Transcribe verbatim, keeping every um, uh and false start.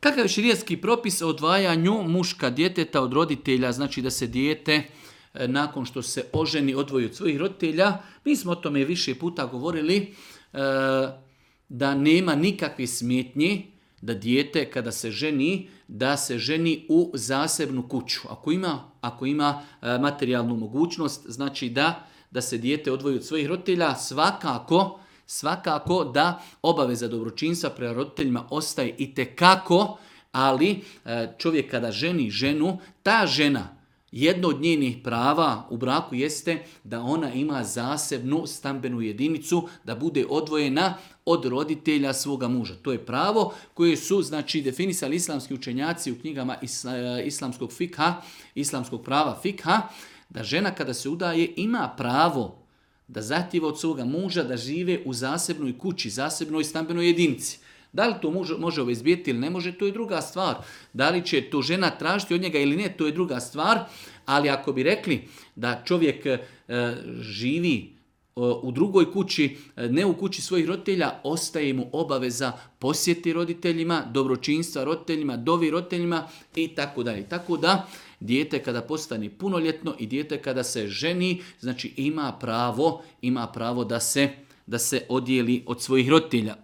Kakav je šerijatski propis o odvajanju muška djeteta od roditelja, znači da se dijete nakon što se oženi odvoji od svojih roditelja? Mi smo o tome više puta govorili da nema nikakve smetnje da dijete kada se ženi, da se ženi u zasebnu kuću. Ako ima, ako ima materijalnu mogućnost, znači da, da se dijete odvoji od svojih roditelja, svakako, svakako da obaveza dobročinstva prema roditeljima ostaje itekako, ali čovjek kada ženi ženu, ta žena, jedno od njenih prava u braku jeste da ona ima zasebnu stambenu jedinicu, da bude odvojena od roditelja svoga muža. To je pravo koje su, znači, definisali islamski učenjaci u knjigama islamskog fikha, islamskog prava fikha, da žena kada se udaje ima pravo da zahtijeva od svoga muža da žive u zasebnoj kući, zasebnoj stambenoj jedinici. Da li to može, može obezbijeti ili ne može, to je druga stvar. Da li će to žena tražiti od njega ili ne, to je druga stvar. Ali ako bi rekli da čovjek e, živi e, u drugoj kući, ne u kući svojih roditelja, ostaje mu obaveza posjeti roditeljima, dobročinstva roditeljima, dovi roditeljima i tako dalje. Tako da dijete kada postane punoljetno i dijete kada se ženi, znači ima pravo, ima pravo da se, da se odijeli od svojih roditelja.